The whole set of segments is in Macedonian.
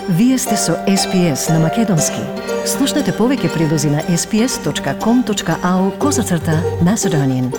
Вие сте со SPS на Македонски. Слушнете повеќе прилози на sps.com.au/Macedonian.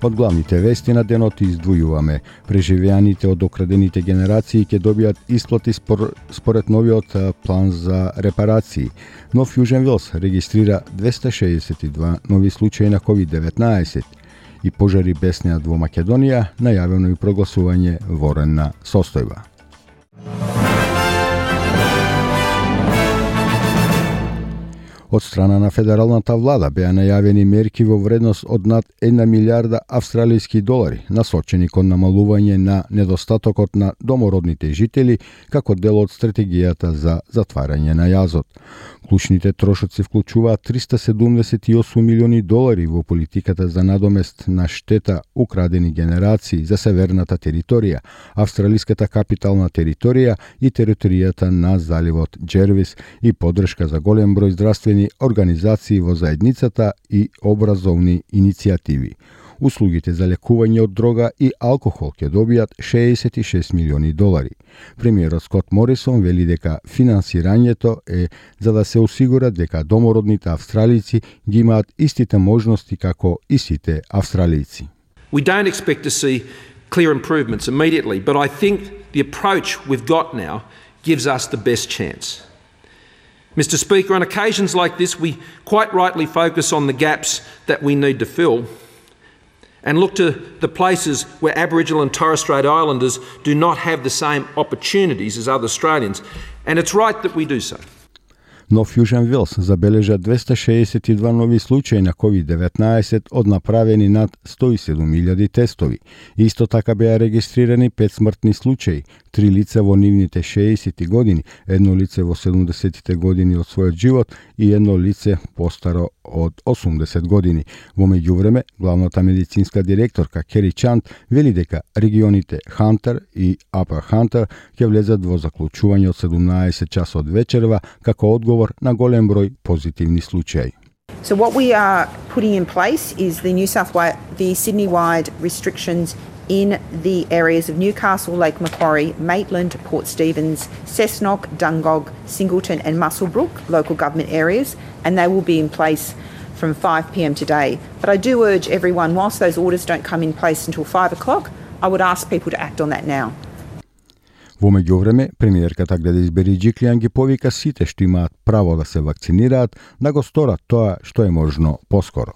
Од главните вести на денот издвојуваме: преживеаните од окрадените генерации ќе добијат исплати според новиот план за репарации. Нов Јужен Велс регистрира 262 нови случаи на COVID-19 и пожари беснеат во Македонија, најавено и прогласување военна состојба. Од страна на федералната влада беа најавени мерки во вредност од над 1 милиарда австралијски долари, насочени кон намалување на недостатокот на домородните жители како дел од стратегијата за затварање на јазот. Клучните трошоци вклучуваат 378 милиони долари во политиката за надомест на штета украдени генерации за северната територија, австралиската капитална територија и територијата на заливот Джервис и поддршка за голем број здравствени организации во заедницата и образовни иницијативи. Услугите за лекување од дрога и алкохол ќе добијат 66 милиони долари. Премиерот Скот Морисон вели дека финансирањето е за да се осигура дека домородните австралици ги имаат истите можности како и сите австралици. We don't expect to see clear improvements immediately, but I think the approach we've got now gives us the best chance. Mr. Speaker, on occasions like this, we quite rightly focus on the gaps that we need to fill and look to the places where Aboriginal and Torres Strait Islanders do not have the same opportunities as other Australians. And it's right that we do so. Нов Јужен Велс забележа 262 нови случаи на COVID-19 од направени над 107.000 тестови. Исто така беа регистрирани 5 смртни случаи, 3 лица во нивните 60 години, едно лице во 70 години од својот живот и едно лице постаро од 80 години. Во меѓувреме, главната медицинска директорка Кери Чант вели дека регионите Хантер и Апер Хантер ќе влезат во заклучување од 17 часот вечерва како одговор на голем број позитивни случаи. So what we are putting in place is the Sydney-wide restrictions in the areas of Newcastle, Lake Macquarie, Maitland, Port Stephens, Cessnock, Dungog, Singleton and Muswellbrook local government areas, and they will be in place from 5 p.m. today. But I do urge everyone, whilst those orders don't come in place until 5 o'clock, I would ask people to act on that now. Во меѓувреме, премиерката Гледис Бериџиклијан ги повика сите што имаат право да се вакцинираат да го сторат тоа што е можно поскоро.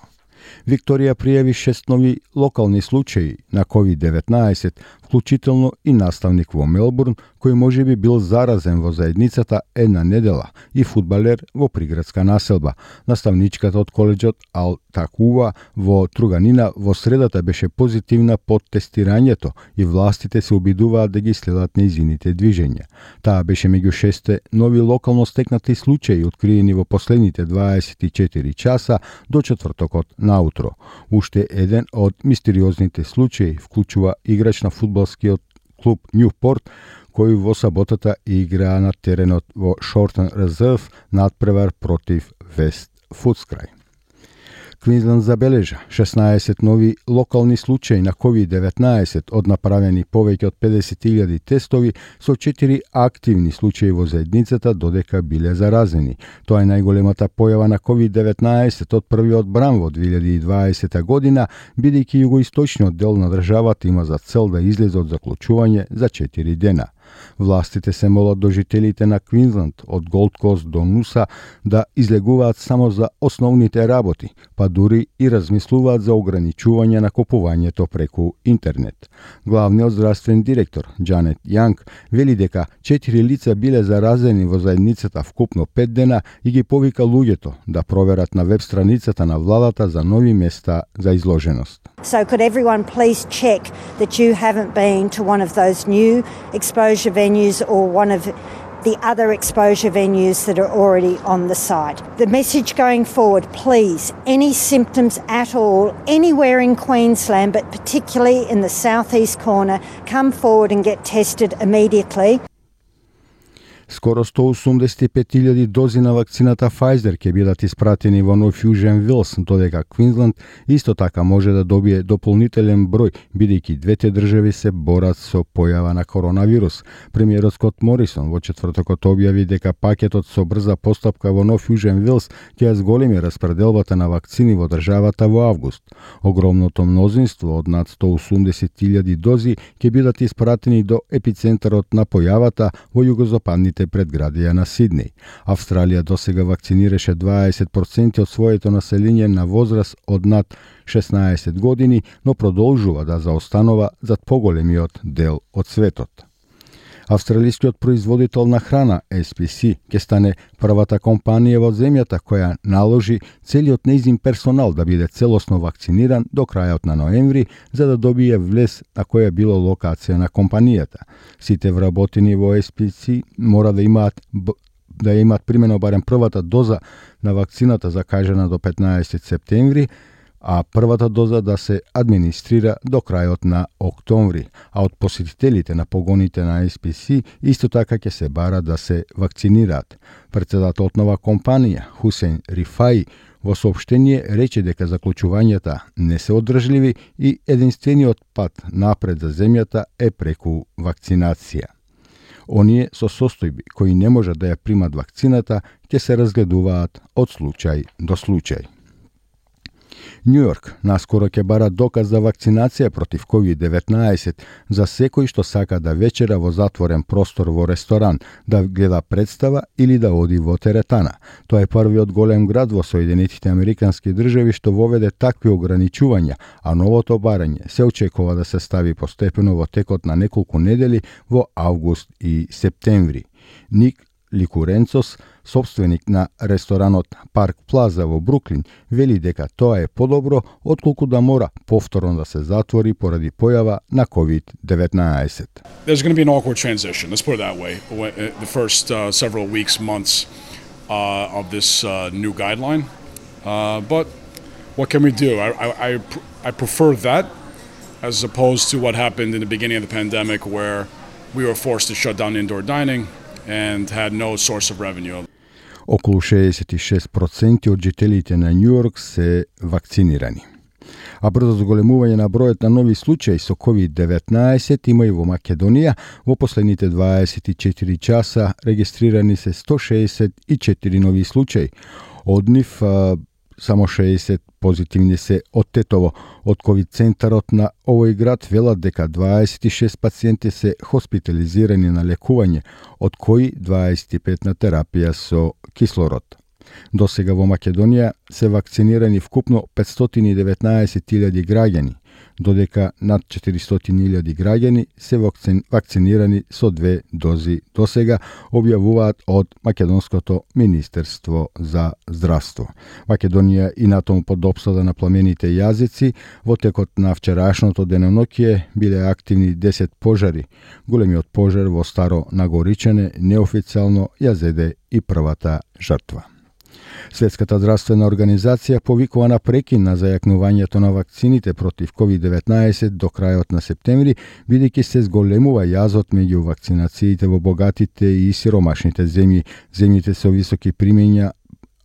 Викторија пријави 6 нови локални случаи на COVID-19, вклучително и наставник во Мелбурн, кој можеби бил заразен во заедницата една недела, и фудбалер во приградска населба. Наставничката од коледжот Ал Такува во Труганина во средата беше позитивна под тестирањето и властите се обидуваат да ги следат нејзините движења. Таа беше меѓу 6 нови локално стекнати случаи откриени во последните 24 часа до четвртокот наутро. Уште еден од мистериозните случаи вклучува играч на фудбалскиот клуб Ньюпорт, кој во саботата играа на теренот во Шортен Резерв надпревар против Вест Фудскрај. Квинсленд забележа 16 нови локални случаи на COVID-19 од направени повеќе од 50.000 тестови со 4 активни случаи во заедницата додека биле заразени. Тоа е најголемата појава на COVID-19 од првиот бран во 2020 година, бидејќи југоисточниот дел на државата има за цел да излезе од заклучување за 4 дена. Властите се молат до жителите на Квинсленд од Голд Кост до Нуса да излегуваат само за основните работи, па дури и размислуваат за ограничување на купувањето преку интернет. Главниот здравствен директор Џанет Јанг вели дека 4 лица биле заразени во заедницата вкупно 5 дена и ги повика луѓето да проверат на веб страницата на владата за нови места за изложеност. So could everyone please check that you haven't been to one of those new exposure venues or one of the other exposure venues that are already on the site. The message going forward, please, any symptoms at all, anywhere in Queensland, but particularly in the southeast corner, come forward and get tested immediately. Скоро 185.000 дози на вакцината Pfizer ќе бидат испратени во Нов Јужен Вилс, додека Квинсленд исто така може да добие дополнителен број, бидејќи двете држави се борат со појава на коронавирус. Премиерот Скот Морисон во четвртокот објави дека пакетот со брза постапка во Нов Јужен Вилс ќе зголеми распределбата на вакцини во државата во август. Огромното мнозинство од над 180.000 дози ќе бидат испратени до епицентарот на појавата во југозападните предградија на Сиднеј. Австралија досега вакцинираше 20% од своето население на возраст од над 16 години, но продолжува да заостанува зад поголемиот дел од светот. Австралискиот производител на храна SPC ќе стане првата компанија во земјата која наложи целиот нејзин персонал да биде целосно вакциниран до крајот на ноември, за да добие влез на која било локација на компанијата. Сите вработени во SPC мора да имаат примено барем првата доза на вакцината закажана до 15 септември, а првата доза да се администрира до крајот на октомври, а од посетителите на погоните на SPC исто така ќе се бара да се вакцинираат. Претседателот на компанија, Хусейн Рифаи, во соопштение рече дека заклучувањата не се одржливи и единствениот пат напред за земјата е преку вакцинација. Оние со состојби кои не можат да ја примат вакцината ќе се разгледуваат од случај до случај. Њу Йорк наскоро ќе бара доказ за вакцинација против COVID-19 за секој што сака да вечера во затворен простор во ресторан, да гледа представа или да оди во теретана. Тоа е првиот голем град во Соединетите Американски држави што воведе такви ограничувања, а новото барање се очекува да се стави постепено во текот на неколку недели во август и септември. Ник Ликуренцос, собственик на ресторанот Парк Плаза во Бруклин, вели дека тоа е подобро отколку да мора повторно да се затвори поради појава на COVID-19. There's going to be an awkward transition, let's put it that way, the first several weeks, months of this new guideline. But what can we do? I prefer that as opposed to what happened in the beginning of the pandemic where we were forced to shut down indoor dining and had no source of revenue. Околу 66% од жителите на Њу Йорк се вакцинирани. А брзо зголемување на бројот на нови случаи со COVID-19 има и во Македонија. Во последните 24 часа регистрирани се 164 нови случаи. Од нив само 60 позитивни се од Тетово. Од COVID-центарот на овој град велат дека 26 пациенти се хоспитализирани на лекување, од кои 25 на терапија со кислород. До сега во Македонија се вакцинирани вкупно 519.000 граѓани, додека над 400.000 граѓани се вакцинирани со 2 дози до сега, објавуваат од Македонското Министерство за здравство. Македонија и натаму под опсада на пламените јазици, во текот на вчерашното денонокие биле активни 10 пожари. Големиот пожар во Старо Нагоричане неофицијално ја зеде и првата жртва. Светската здравствена организација повикува на прекин на зајакнувањето на вакцините против COVID-19 до крајот на септември, бидејќи се зголемува јазот меѓу вакцинациите во богатите и сиромашните земји. Земјите со високи примења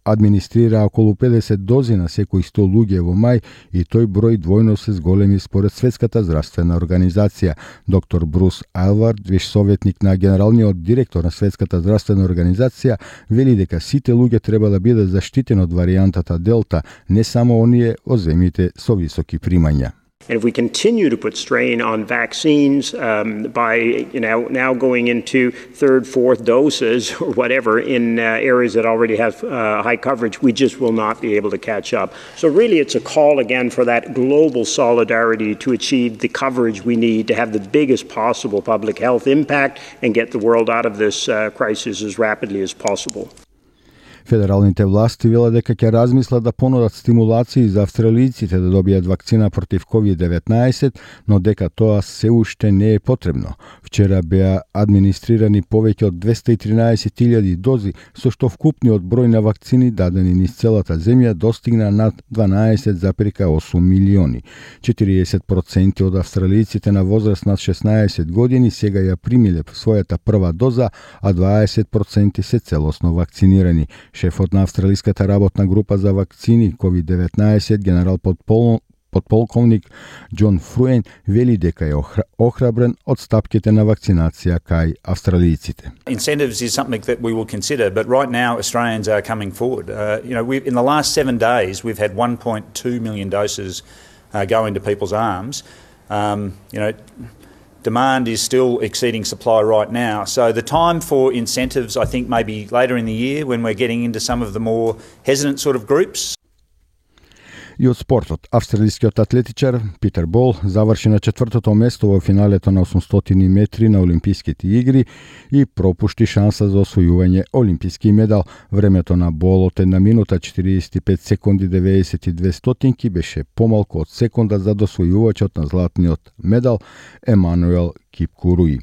администрира околу 50 дози на секои 100 луѓе во мај и тој број двојно се зголеми според Светската здравствена организација. Доктор Брус Айлвард, виш советник на генералниот директор на Светската здравствена организација, вели дека сите луѓе треба да бидат заштитени од варијантата Делта, не само оние во земјите со високи примања. And if we continue to put strain on vaccines by now going into third, fourth doses or whatever in areas that already have high coverage, we just will not be able to catch up. So really it's a call again for that global solidarity to achieve the coverage we need to have the biggest possible public health impact and get the world out of this crisis as rapidly as possible. Федералните власти велат дека ќе размислат да понудат стимулации за австралиците да добијат вакцина против COVID-19, но дека тоа се уште не е потребно. Вчера беа администрирани повеќе од 213.000 дози, со што вкупниот број на вакцини дадени низ целата земја достигна над 12,8 милиони. 40% од австралиците на возраст над 16 години сега ја примиле својата прва доза, а 20% се целосно вакцинирани. Шефот на австралиската работна група за вакцини COVID-19, генерал подполковник Џон Фруен, вели дека е охрабрен од стапките на вакцинација кај австралиците. Incentives is something that we will consider, but right now Australians are coming forward. In the last 7 days we've had 1.2 million doses go into people's arms. Demand is still exceeding supply right now. So the time for incentives, I think, maybe later in the year when we're getting into some of the more hesitant sort of groups. И од спортот, австралискиот атлетичар Питер Бол заврши на 4-то место во финалето на 800 метри на Олимписките игри и пропушти шанса за освојување олимписки медал. Времето на Бол од 1 минута 45 секунди 92 стотинки беше помалку од секунда за досвојувачот на златниот медал Емануел Кипкуруи.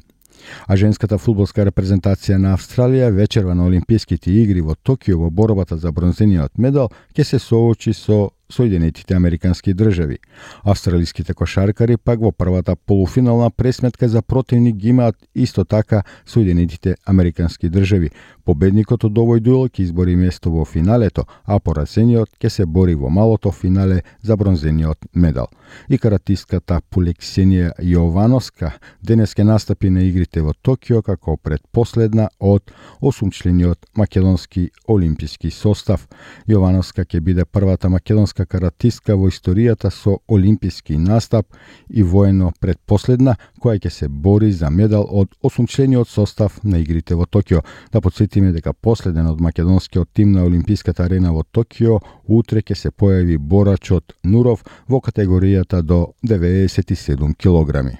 А женската фудбалска репрезентација на Австралија вечерва на Олимписките игри во Токио во борбата за бронзениот медал ќе се соочи со Соединетите Американски држави. Австралиските кошаркари пак во првата полуфинална пресметка за противник ги имаат исто така Соединетите Американски држави. Победникот од овој дуел ќе избори место во финалето, а поразениот ќе се бори во малото финале за бронзениот медал. И каратистката Полексенија Јовановска денес ќе настапи на игрите во Токио како предпоследна од 8-члениот македонски олимписки состав. Јовановска ќе биде првата македонска каратистка во историјата со олимписки настап и воено предпоследна која ќе се бори за медал од 8-члениот состав на игрите во Токио. Да подсетиме дека последен од македонскиот тим на Олимписката арена во Токио утре ќе се појави борачот Нуров во категоријата до 97 килограми.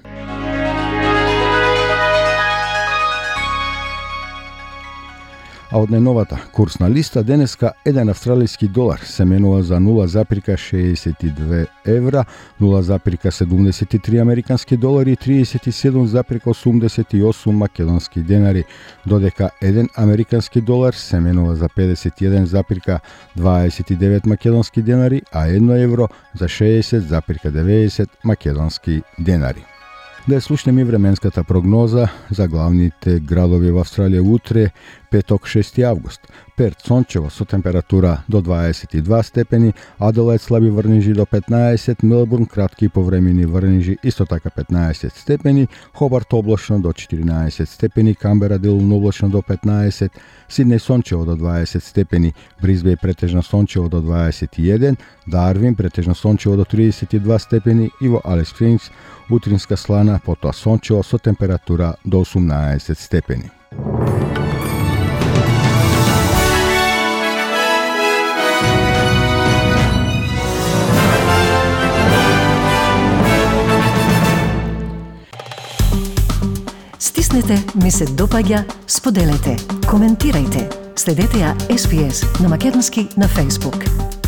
А од најновата курсна листа денеска еден австралиски долар се менува за 0,62 евра, 0,73 американски долари и 37,88 македонски денари, додека еден американски долар се менува за 51,29 македонски денари, а 1 евро за 60,90 македонски денари. Да слушнеме и временската прогноза за главните градови во Австралија утре, петок 6 август. Перт сончево со температура до 22 степени, Аделаид слаби врнежи до 15, Мелбурн кратки и повремени врнежи исто така 15 степени, Хобарт облачно до 14 степени, Камбера делумно облачно до 15, Сиднеј сончево до 20 степени, Брисбеј претежно сончево до 21, Дарвин претежно сончево до 32 степени и во Алис Спрингс утринска слана, потоа сончево со температура до 18 степени. Стиснете, ми се допаѓа, споделете, коментирајте. Следете ја SPS на Македонски на Facebook.